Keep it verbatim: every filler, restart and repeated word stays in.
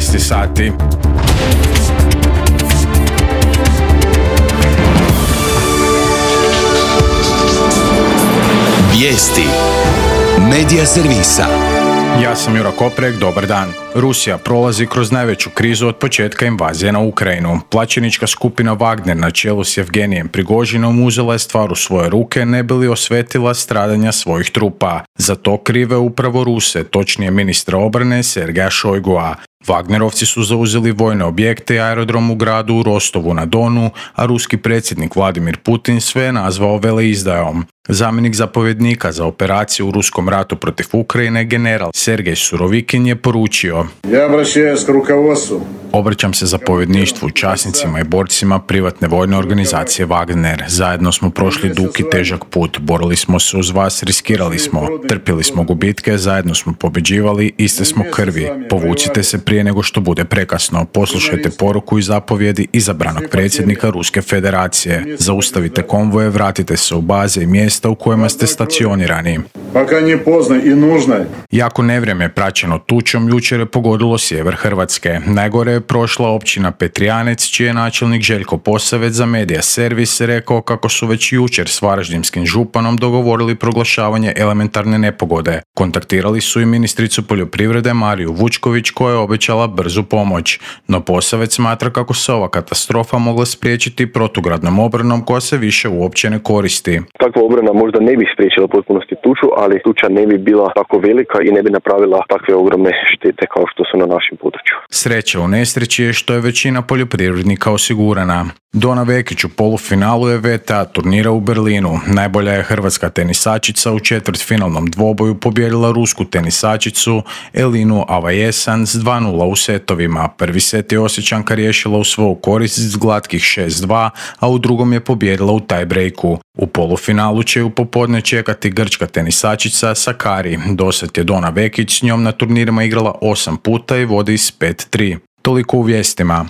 šesnaest sati. Vijesti Medija servisa. Ja sam Jura Koprek, dobar dan. Rusija prolazi kroz najveću krizu od početka invazije na Ukrajinu. Plaćenička skupina Wagner na čelu s Evgenijem Prigožinom uzela je stvar u svoje ruke ne bi li osvetila stradanja svojih trupa. Za to krive upravo Ruse, točnije ministra obrane Sergeja Šojgua. Wagnerovci su zauzeli vojne objekte i aerodrom u gradu u Rostovu na Donu, a ruski predsjednik Vladimir Putin sve je nazvao veleizdajom. Zamjenik zapovjednika za operaciju u ruskom ratu protiv Ukrajine, general Sergej Surovikin, je poručio: Ja obraćam k rukovodstvu. Obraćam se zapovjedništvu, časnicima i borcima privatne vojne organizacije Wagner. Zajedno smo prošli dug i težak put, borili smo se uz vas, riskirali smo, trpili smo gubitke, zajedno smo pobjeđivali, iste smo krvi. Povucite se prije nego što bude prekasno. Poslušajte poruku i zapovjedi izabranog predsjednika Ruske federacije. Zaustavite konvoje, vratite se u baze i mjesta u kojima ste stacionirani. Пока не поздно и нужно. Jako nevrijeme praćeno tučom jučer je pogodilo sjever Hrvatske. Najgore je prošla općina Petrijanec, čiji je načelnik Željko Posavec za Medija servis rekao kako su već jučer s varaždinskim županom dogovorili proglašavanje elementarne nepogode. Kontaktirali su i ministricu poljoprivrede Mariju Vučković koja je obećala brzu pomoć. No Posavec smatra kako se ova katastrofa mogla spriječiti protugradnom obranom koja se više uopće ne koristi. Takva obrana možda ne bi spriječila u potpunosti tuču, ali tuča ne bi bila tako velika i ne bi napravila takve ogromne štete kao što su na našem području. Sreća u nesreći je što je većina poljoprivrednika osigurana. Dona Vekić u polufinalu je V T A turnira u Berlinu. Najbolja je hrvatska tenisačica u četvrtfinalnom dvoboju pobijedila rusku tenisačicu Elinu Avajesan s dva nula u setovima. Prvi set je Osječanka riješila u svoju korist s glatkih šest dva, a u drugom je pobijedila u tie-breaku. U polufinalu će ju popodne čekati grčka tenisačica Sakari. Dosad je Dona Vekić s njom na turnirima igrala osam puta i vodi s pet tri. Toliko u vijestima.